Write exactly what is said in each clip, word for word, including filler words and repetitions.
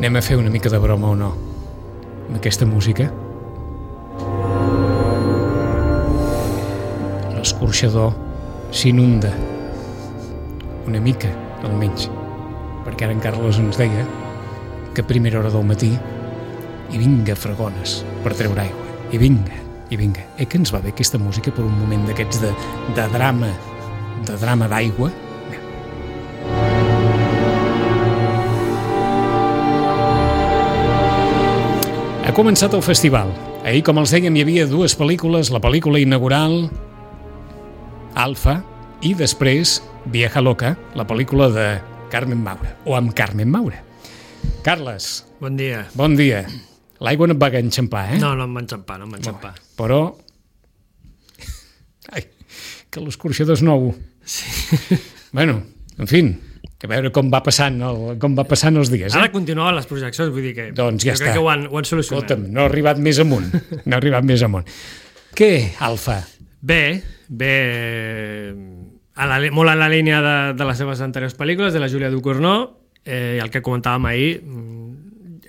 Anem a fer una mica de broma o no amb aquesta música? L'escorxador s'inunda una mica, almenys, perquè ara en Carles ens deia que a primera hora del matí i vinga fregones per treure aigua, i vinga, i vinga. Eh que ens va bé aquesta música per un moment d'aquests de, de drama, de drama d'aigua? Ha començat el festival. Ahir, com els dèiem, hi havia dues pel·lícules, la pel·lícula inaugural, Alfa, i després Vieja Loca, la pel·lícula de Carmen Maura, o amb Carmen Maura. Carles. Bon dia. Bon dia. L'aigua no et va enxampar, eh? No, no em va enxampar, no em va enxampar. No, però... Ai, que l'escorxador és nou. Sí. Bueno, en fi, a veure com va passant, el, com va passant els dies. Eh? Ara continuen les projeccions, vull dir que... Doncs ja jo està. crec que ho han, ho han solucionat. Escolta'm, no ha arribat més amunt. No ha arribat més amunt. Què, Alfa? Bé, bé... A la, molt en la línia de, de les seves anteriors pel·lícules, de la Júlia Ducournau, eh, el que comentàvem ahir,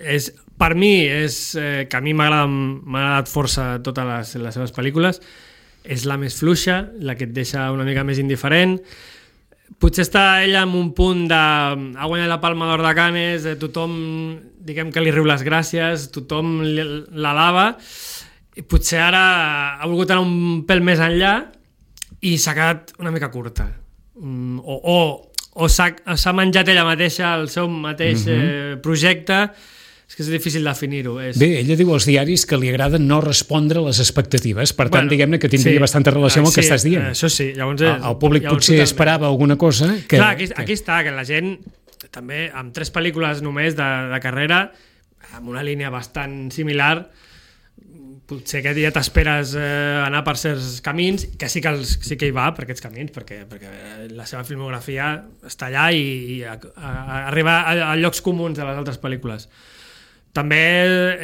és, per mi, és, eh, que a mi m'ha agradat força totes les, les seves pel·lícules, és la més fluixa, la que et deixa una mica més indiferent. Potser està ella en un punt de... ha guanyat la Palma d'Or de Canes, eh, tothom, diguem que li riu les gràcies, tothom l'alaba, i potser ara ha volgut anar un pèl més enllà i s'ha quedat una mica curta. Mm, o o, o s'ha menjat ella mateixa el seu mateix mm-hmm. eh, projecte. És que és difícil definir-ho. És... Bé, ella diu als diaris que li agrada no respondre a les expectatives, per tant, bueno, diguem-ne que tindria sí, bastanta relació amb el sí, que estàs dient. Això sí. Llavors, el, el públic potser totalment esperava alguna cosa que... Clar, aquí, que... aquí està, que la gent, també, amb tres pel·lícules només de, de carrera, amb una línia bastant similar, potser que ja t'esperes eh, anar per certs camins, que sí que, els, sí que hi va per aquests camins, perquè, perquè la seva filmografia està allà i, i a, a, a arriba a, a llocs comuns de les altres pel·lícules. També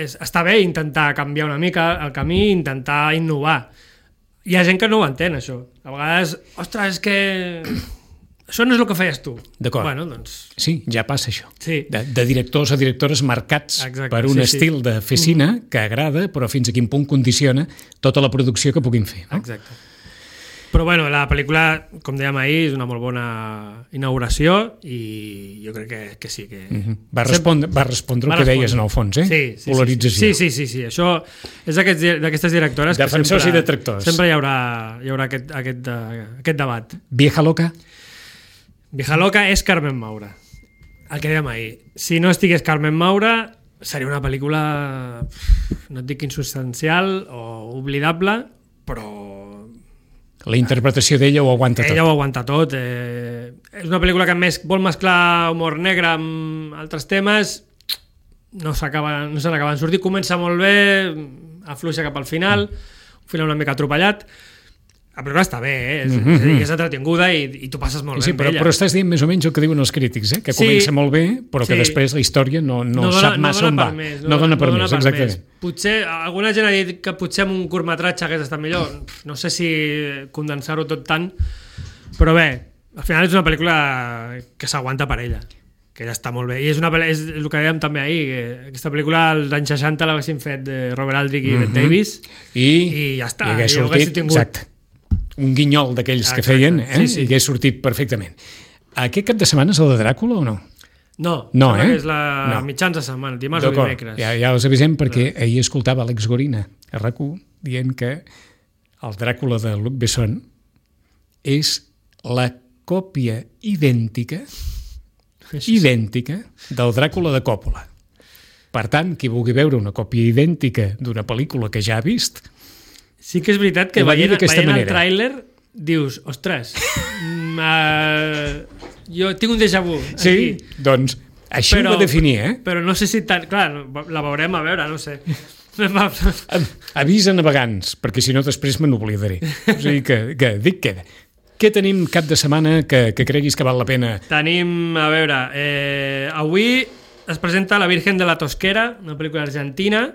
és, està bé intentar canviar una mica el camí, intentar innovar. Hi ha gent que no ho entén, això. A vegades, ostres, és que això no és el que feies tu. D'acord. Bueno, doncs... Sí, ja passa això. Sí. De, de directors a directores marcats Exacte, per un sí, estil sí. de fer cine mm. que agrada, però fins a quin punt condiciona tota la producció que puguin fer. No? Exacte. Però bueno, la pel·lícula, com dèiem ahir, és una molt bona inauguració i jo crec que, que sí. Que... Mm-hmm. Va respondre, va respondre va el que respondre. Deies en el fons, eh? Sí, sí, polarització. Sí, sí, sí, sí. Això és d'aquestes directores Defensors que sempre, i detractors. Sempre hi haurà, hi haurà aquest, aquest, aquest debat. Vieja Loca? Vieja Loca és Carmen Maura. El que dèiem ahir. Si no estigués Carmen Maura, seria una pel·lícula, no et dic insubstancial o oblidable, però... La interpretació d'ella ho aguanta tot. Ella ho aguanta tot. Eh, és una pel·lícula que més vol mesclar humor negre amb altres temes, no s'acaben no se n'acaben sortir. Comença molt bé, afluixa cap al final, un final una mica atropellat. La pel·lícula està bé, eh? és, mm-hmm. és, a dir, és entretinguda i, i tu passes molt sí, bé però, amb ella. Però estàs dient més o menys el que diuen els crítics, eh? Que sí, comença molt bé, però que sí. després la història no, no, no dona, sap massa no on va. Més, no, no dona per no més, dona per exactament. Més. Potser, alguna gent ha dit que potser amb un curtmetratge hagués estat millor. No sé si condensar-ho tot tant, però bé, al final és una pel·lícula que s'aguanta per ella, que ja està molt bé. I és, una, és el que dèiem també ahir, que aquesta pel·lícula als anys seixanta l'haguessin fet de Robert Aldrich i mm-hmm. Bette Davis, I, i ja està. I hagués sortit, tingut... exacte, un guinyol d'aquells que feien, eh? Sí, sí. I hagués sortit perfectament. Aquest cap de setmana és el de Dràcula o no? No, no eh? és la no. mitjans de setmana, dimarts o dimecres. Ja, ja els avisem perquè no. ahir escoltava Àlex Gorina a RAC u dient que el Dràcula de Luc Besson és la còpia idèntica idèntica del Dràcula de Coppola. Per tant, qui vulgui veure una còpia idèntica d'una pel·lícula que ja ha vist... Sí que és veritat que veient, veient el tràiler dius, ostres, uh, jo tinc un déjà vu. Sí, aquí. Doncs així però, ho va definir, eh? Però no sé si tant... Clar, la veurem a veure, no sé. Avisa navegants, perquè si no després me n'oblidaré. O sigui que, que dic queda. Què tenim cap de setmana que, que creguis que val la pena? Tenim, a veure, eh, avui es presenta La Virgen de la Tosquera, una pel·lícula argentina,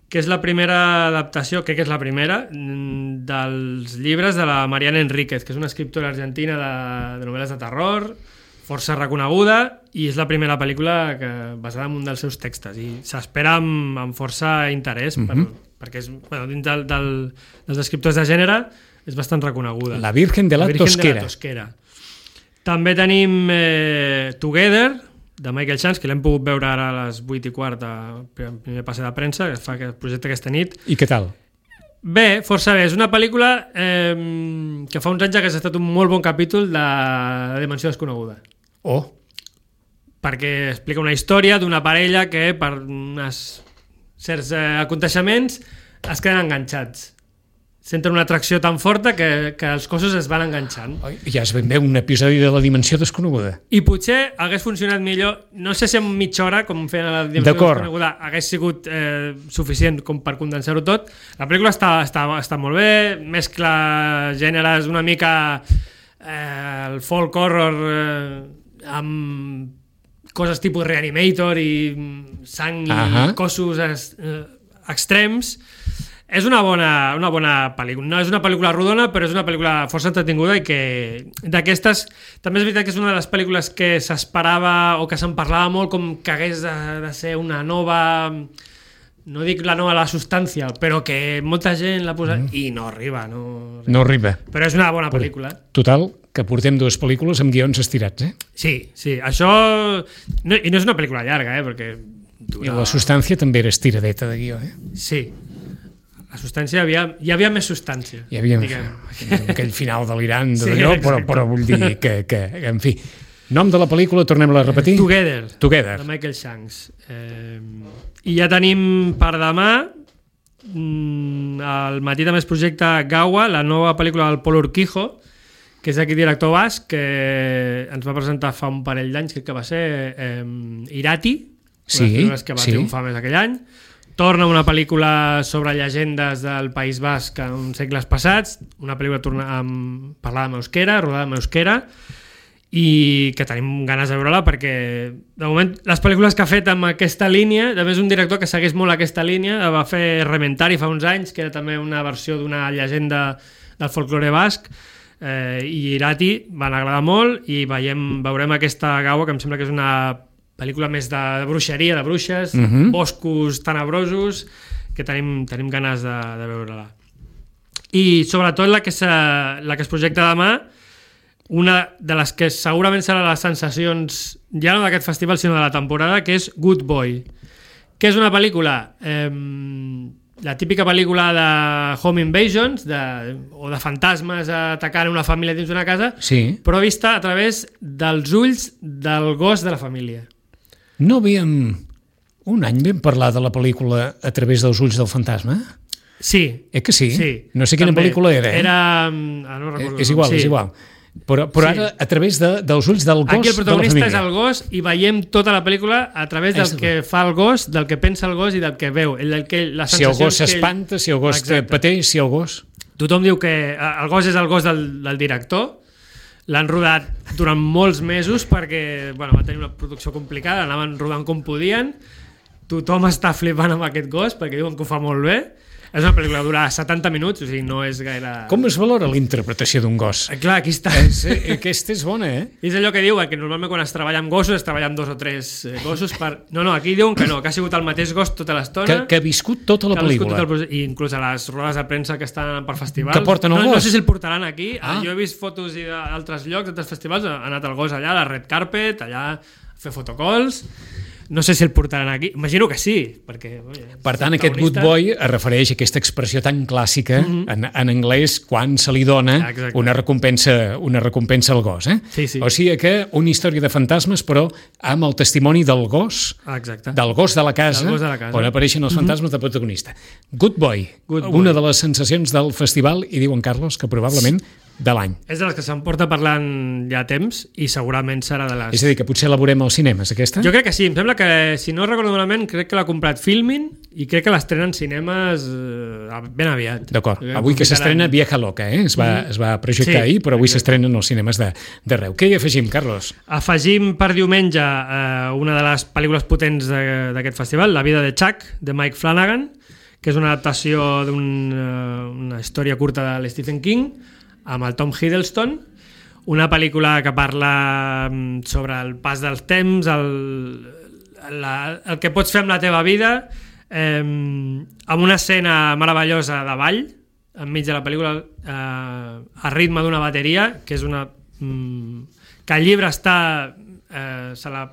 que és la primera adaptació, crec que és la primera, dels llibres de la Mariana Enríquez, que és una escriptora argentina de, de novel·les de terror, força reconeguda i és la primera pel·lícula que, basada en un dels seus textos i s'espera amb, amb força interès per, mm-hmm. perquè és, bueno, dins del, del, dels escriptors de gènere és bastant reconeguda. La Virgen de la, la Virgen Tosquera. De la Tosquera. També tenim eh, Together, de Michael Chance, que l'hem pogut veure ara a les vuit i quart a primer passe de premsa, que fa el projecte aquesta nit. I què tal? Bé, força bé. És una pel·lícula eh, que fa uns anys hagués estat un molt bon capítol de la Dimensió Desconeguda. Oh! Perquè explica una història d'una parella que per uns certs eh, aconteixements es queden enganxats. Senten una atracció tan forta que, que els cossos es van enganxant. Ja es ben bé un episodi de la Dimensió Desconeguda. I potser hagués funcionat millor, no sé si en mitja hora, com feien a la Dimensió Desconeguda, hagués sigut eh, suficient com per condensar-ho tot. La pel·lícula està, està, està molt bé, mescla gèneres una mica eh, el folk horror eh, amb coses tipus Reanimator i sang i uh-huh. cossos eh, extrems. És una bona, una bona pel·lícula. No és una pel·lícula rodona, però és una pel·lícula força entretinguda i que d'aquestes... També és veritat que és una de les pel·lícules que s'esperava o que se'n parlava molt com que hagués de, de ser una nova... No dic la nova La Substància, però que molta gent l'ha posat mm. i no arriba. No, no arriba. Però és una bona pel·lícula. Total, que portem dues pel·lícules amb guions estirats, eh? Sí, sí. Això... No, i no és una pel·lícula llarga, eh? Perquè dura... I La Substància també era estiradeta de guió, eh? Sí. La substància, hi havia, hi havia més substància. Hi havia aquell, aquell final delirant d'allò, sí, però, però vull dir que, que, en fi... Nom de la pel·lícula, tornem-la a repetir? Together, Together. de Michael Shanks. Eh, I ja tenim per demà, al matí també es projecta Gaua, la nova pel·lícula del Pol Urquijo, que és aquí director basc, que ens va presentar fa un parell d'anys, crec que va ser eh, Irati, sí, les que va sí. triomfar més aquell any. Torna una pel·lícula sobre llegendes del País Basc en segles passats, una pel·lícula torna amb, parlada en euskera, rodada en euskera, i que tenim ganes de veure-la perquè, de moment, les pel·lícules que ha fet amb aquesta línia, a més un director que segueix molt aquesta línia, va fer Rementari fa uns anys, que era també una versió d'una llegenda del folklore basc, eh, i Irati van agradar molt, i veiem, veurem aquesta Gaua, que em sembla que és una pel·lícula més de, de bruixeria, de bruixes, uh-huh. boscos tenebrosos, que tenim, tenim ganes de, de veure-la. I sobretot la que, la que es projecta demà, una de les que segurament serà les sensacions ja no d'aquest festival, sinó de la temporada, que és Good Boy, que és una pel·lícula, eh, la típica pel·lícula de home invasions, de, o de fantasmes atacant una família dins d'una casa, sí. però vista a través dels ulls del gos de la família. No havíem... Un any vam parlar de la pel·lícula A través dels ulls del fantasma? Sí. Eh que sí? Sí. No sé quina també. Pel·lícula era, eh? Era... Ah, no recordo. És igual, sí. és igual. Però, però sí. ara a través de, dels ulls del gos de la família. Aquí el protagonista és el gos i veiem tota la pel·lícula a través del és que fa el gos, del que pensa el gos i del que veu. El, que, la si el gos s'espanta, ell... si el gos Exacte. pateix, si el gos... Tothom diu que el gos és el gos del, del director. L'han rodat durant molts mesos perquè bueno, va tenir una producció complicada, anaven rodant com podien, tothom està flipant amb aquest gos perquè diuen que ho fa molt bé. És una pel·lícula que dura setanta minuts, o sigui, no és gaire... Com es valora la interpretació d'un gos? Eh, clar, aquí està. És, aquesta és bona, eh? És allò que diu, que normalment quan es treballa amb gossos es treballa amb dos o tres gossos per... No, no, aquí diuen que no, que ha sigut el mateix gos tota l'estona. Que, que ha viscut tota la pel·lícula. Tot el... I inclús a les rodes de premsa que estan per festivals. Que porten el no, gos. No sé si el portaran aquí. Ah. Jo he vist fotos d'altres llocs, d'altres festivals, ha anat el gos allà, a la red carpet, allà a fer fotocalls. No sé si el portaran aquí, imagino que sí, perquè... Oye, per tant, aquest good boy es refereix a aquesta expressió tan clàssica mm-hmm. en, en anglès quan se li dona una recompensa, una recompensa al gos. Eh? Sí, sí. O sigui que una història de fantasmes, però amb el testimoni del gos, Exacte. del gos de la casa, gos de la casa. on apareixen els fantasmes mm-hmm. de protagonista. Good boy, good boy, una de les sensacions del festival, i diuen, Carlos, que probablement de l'any. És de les que se'n porta parlant ja temps i segurament serà de les... És a dir, que potser la veurem als cinemes, aquesta? Jo crec que sí, em sembla que, si no recordo malament, crec que l'ha comprat Filmin i crec que l'estrena en cinemes eh, ben aviat. D'acord, avui que s'estrena Vieja Loca, eh? es, va, mm. es va projectar sí, ahir, però avui s'estrenen als cinemes d'arreu. Què hi afegim, Carlos? Afegim per diumenge eh, una de les pel·lícules potents d'aquest festival, La vida de Chuck, de Mike Flanagan, que és una adaptació d'una història curta de Stephen King, amb el Tom Hiddleston, una pel·lícula que parla sobre el pas dels temps, el, la, el que pots fer amb la teva vida, eh, amb una escena meravellosa de ball, enmig de la pel·lícula, eh, a ritme d'una bateria, que és una... Mm, que el llibre està... Eh, se la,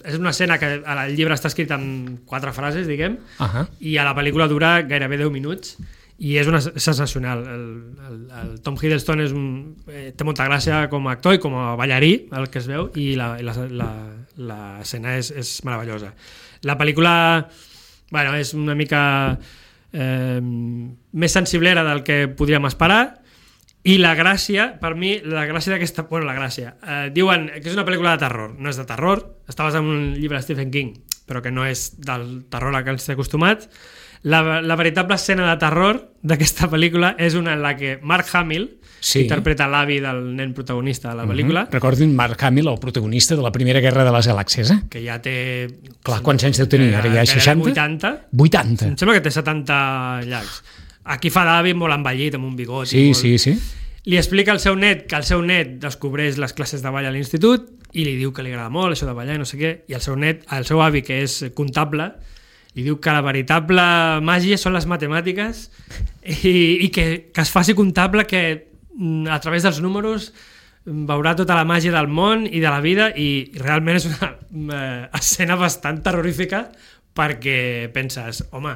és una escena que el llibre està escrit en quatre frases, diguem, uh-huh. i a la pel·lícula dura gairebé deu minuts, i és una sensacional. El, el, el Tom Hiddleston és un, eh, té molta gràcia com a actor i com a ballarí, el que es veu, i l'escena és, és meravellosa. La pel·lícula, bueno, és una mica eh, més sensiblera del que podríem esperar, i la gràcia, per mi, la gràcia d'aquesta... Bueno, la gràcia. Eh, diuen que és una pel·lícula de terror. No és de terror, està basada en un llibre de Stephen King, però que no és del terror a què ens té acostumat. La, la veritable escena de terror d'aquesta pel·lícula és una en la que Mark Hamill, sí. interpreta l'avi del nen protagonista de la pel·lícula. Mm-hmm. Recordin Mark Hamill, el protagonista de la Primera Guerra de les Galàxies, eh? Que ja té... Clar, quants anys deu tenir? Ara ja seixanta? vuitanta. vuitanta. Em sembla que té setanta llargs. Aquí fa d'avi molt envellit, amb un bigot. Sí, molt... sí, sí. Li explica al seu net que el seu net descobreix les classes de ball a l'institut i li diu que li agrada molt això de ballar i no sé què, i el seu net, el seu avi, que és comptable, li diu que la veritable màgia són les matemàtiques i, i que, que es faci comptable, que a través dels números veurà tota la màgia del món i de la vida, i realment és una eh, escena bastant terrorífica, perquè penses, home,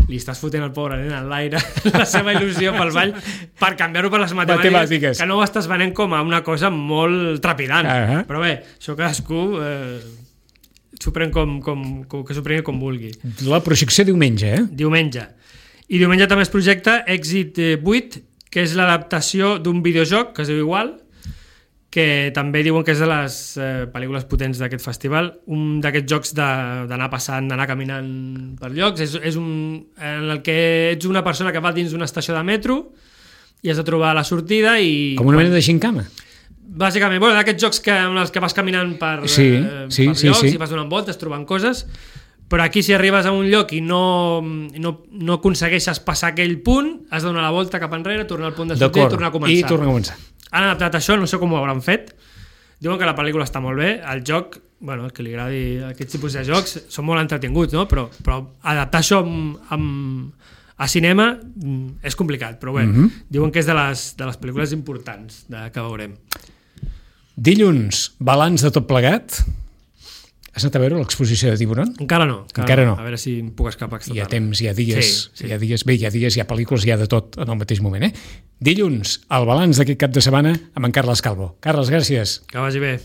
li estàs fotent el pobre nen en l'aire la seva il·lusió pel ball per canviar-ho per les matemàtiques, matemàtiques, que no ho estàs venent com a una cosa molt trepidant. Uh-huh. Però bé, això cadascú eh, s'ho pren com, com, com, que s'ho prengui com vulgui. La projecció diumenge, eh? Diumenge. I diumenge també es projecta Èxit vuit, que és l'adaptació d'un videojoc que es diu igual, que també diuen que és de les eh, pel·lícules potents d'aquest festival, un d'aquests jocs d'anar passant, d'anar caminant per llocs, és, és un en el que ets una persona que va dins d'una estació de metro i has de trobar la sortida i... Com una mena de gincama. Bàsicament, bueno, d'aquests jocs que, en els que vas caminant per, sí, eh, sí, per sí, llocs sí. i vas donant voltes, trobant coses, però aquí si arribes a un lloc i no, no, no aconsegueixes passar aquell punt, has de donar la volta cap enrere, tornar al punt de sortida i tornar a començar. I tornar a començar. Han adaptat això, no sé com ho hauran fet. Diuen que la pel·lícula està molt bé, el joc, bueno, el que li agradi aquest tipus de jocs, són molt entretinguts, no? Però, però adaptar això amb, amb, a cinema és complicat, però bé, mm-hmm. diuen que és de les, de les pel·lícules importants de, que veurem. Dilluns, balanç de tot plegat. Has anat a veure l'exposició de Tiburon? Encara no. Encara, encara no. no. A veure si em puc escapar aquesta hi ha tarda. temps, hi ha dies, sí, sí. hi ha dies, bé, hi ha dies, hi ha pel·lícules, hi ha de tot en el mateix moment, eh? Dilluns, el balanç d'aquest cap de setmana amb en Carles Calvo. Carles, gràcies. Que vagi bé.